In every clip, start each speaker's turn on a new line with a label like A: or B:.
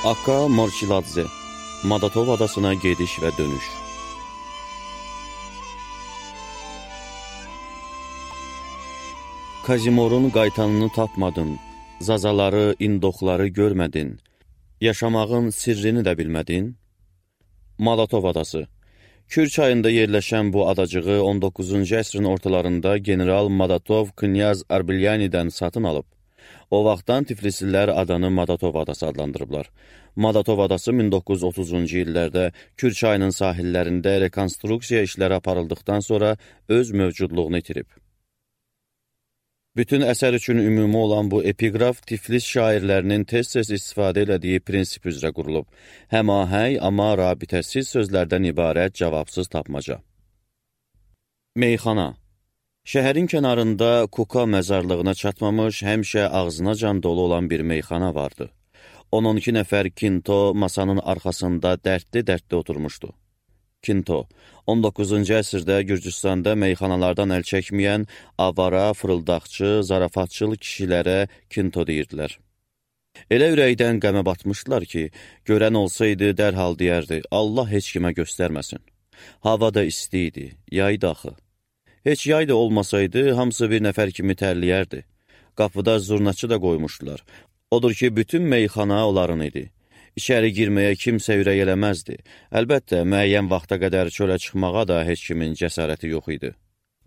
A: Akka Morçiladze, Madatov adasına gediş və dönüş. Kazimorun qaytanını tapmadın, zazaları, indoxları görmədin, yaşamağın sirrini də bilmədin. Madatov adası. Kür çayında yerləşən bu adacığı 19-cu əsrin ortalarında General Madatov Knyaz Arbilyanidən satın alıb. O vaxtdan Tiflislər adanı Madatov adası adlandırıblar. Madatov adası 1930-cu illərdə Kür çayının sahillərində rekonstruksiya işləri aparıldıqdan sonra öz mövcudluğunu itirib. Bütün əsər üçün ümumi olan bu epiqraf Tiflis şairlərinin tez-tez istifadə elədiyi prinsip üzrə qurulub. Həmahəng, amma rabitəsiz sözlərdən ibarət cavabsız tapmaca. Meyxana. Şəhərin kənarında Kuka məzarlığına çatmamış, həmişə ağzına can dolu olan bir meyxana vardı. 12 nəfər Kinto masanın arxasında dərdli-dərdli oturmuşdu. Kinto, 19-cu əsrdə Gürcüstanda meyxanalardan əl çəkməyən, avara, fırıldaqçı, zarafatçıl kişilərə Kinto deyirdilər. Elə ürəkdən qəmə batmışdılar ki, görən olsaydı dərhal deyərdi, Allah heç kimə göstərməsin. Hava da isti idi, yaydı axı. Heç yay da olmasaydı, hamısı bir nəfər kimi tərliyərdi. Qapıda zurnaçı da qoymuşdular. Odur ki, bütün meyxana onların idi. İçəri girməyə kimsə ürək eləməzdi. Əlbəttə, müəyyən vaxta qədər çölə çıxmağa da heç kimin cəsarəti yox idi.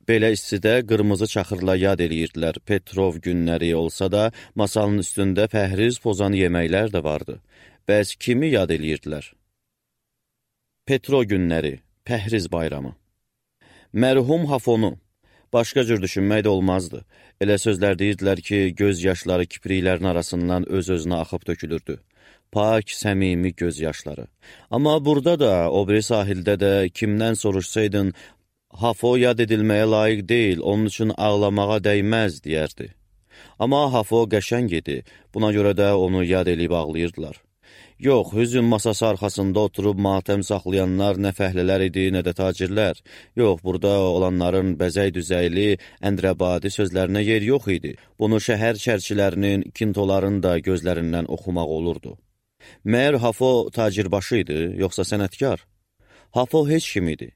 A: Belə istidə qırmızı çaxırla yad eləyirdilər. Petrov günləri olsa da, masanın üstündə pəhriz pozan yeməklər də vardı. Bəs kimi yad eləyirdilər? Petro günləri, pəhriz bayramı. Mərhum Hafonu. Başqa cür düşünmək də olmazdı. Elə sözlər deyirdilər ki, göz yaşları kipriklərin arasından öz-özünə axıb tökülürdü. Pak, səmimi göz yaşları. Amma burada da, o biri sahildə də kimdən soruşsaydın, Hafo yad edilməyə layiq deyil, onun üçün ağlamağa dəyməz, deyərdi. Amma Hafo qəşəng idi, buna görə də onu yad eləyib ağlayırdılar. Yox, hüzün masası arxasında oturub matəm saxlayanlar nə fəhlələr idi, nə də tacirlər. Yox, burada olanların bəzək-düzəyli, əndrəbadi sözlərinə yer yox idi. Bunu şəhər çərçilərinin, kintoların da gözlərindən oxumaq olurdu. Məyər Hafo tacirbaşı idi, yoxsa sənətkar? Hafo heç kim idi.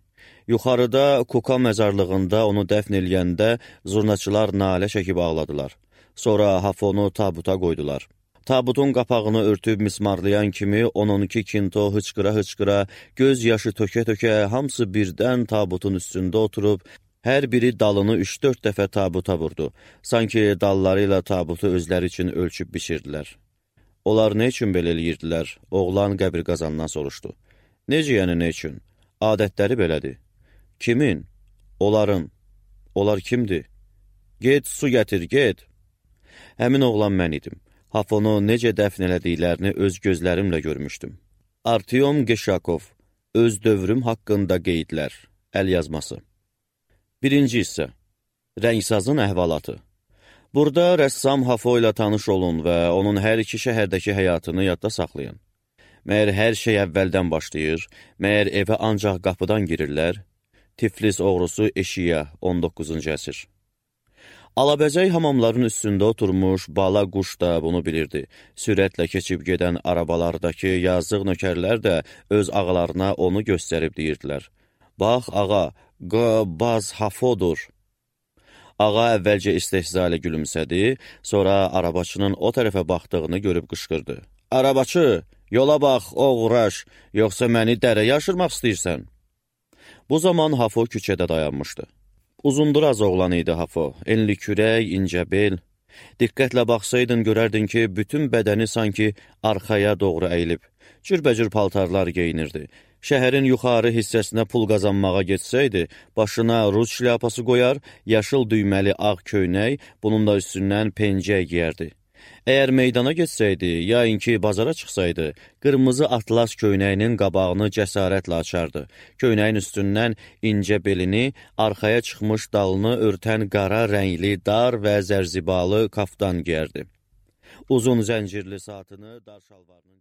A: Yuxarıda Kuka məzarlığında onu dəfn eləyəndə zurnaçılar nalə çəkib ağladılar. Sonra Hafonu tabuta qoydular. Tabutun qapağını örtüb mismarlayan kimi 12 kinto hıçqıra-hıçqıra, göz yaşı tökə-tökə, hamısı birdən tabutun üstündə oturub, hər biri dalını 3-4 dəfə tabuta vurdu. Sanki dalları ilə tabutu özləri üçün ölçüb biçirdilər. Onlar nə üçün belə eləyirdilər? Oğlan qəbir qazandan soruşdu. Necə yəni nə üçün? Adətləri belədir. Kimin? Onların. Onlar kimdir? Get, su gətir, get. Həmin oğlan mən idim. Hafonu necə dəfn elədiklərini öz gözlərimlə görmüşdüm. Artyom Geşakov, öz dövrüm haqqında qeydlər, əl yazması. Birinci hissə, Rəngsazın əhvalatı. Burada rəssam Hafo ilə tanış olun və onun hər iki şəhərdəki həyatını yadda saxlayın. Məyər hər şey əvvəldən başlayır, məyər evə ancaq qapıdan girirlər. Tiflis oğrusu eşiyə, 19-cu əsr. Alabəzək hamamların üstündə oturmuş bala quş da bunu bilirdi. Sürətlə keçib gedən arabalardakı yazıq nökərlər də öz ağalarına onu göstərib deyirdilər. Bax, ağa, baz Hafodur. Ağa əvvəlcə istehza ilə gülümsədi, sonra arabaçının o tərəfə baxdığını görüb qışqırdı. Arabaçı, yola bax, oğraş, yoxsa məni dərəyə aşırmaq istəyirsən? Bu zaman Hafo küçədə dayanmışdı. Uzunduraz oğlan idi Hafo, enli kürək, incə bel. Diqqətlə baxsaydın görərdin ki, bütün bədəni sanki arxaya doğru əyilib. Cürbəcür paltarlar geyinirdi. Şəhərin yuxarı hissəsinə pul qazanmağa getsəydi, başına Rus şlyapası qoyar, yaşıl düyməli ağ köynək, bunun da üstündən pencək giyərdi. Əgər meydana getsəydi, ya inki bazara çıxsaydı, qırmızı atlas köynəyinin qabağını cəsarətlə açardı. Köynəyin üstündən incə belini, arxaya çıxmış dalını örtən qara rəngli, dar və zərzibalı kaftan giyərdi. Uzun zəncirli saatını dar şalvarının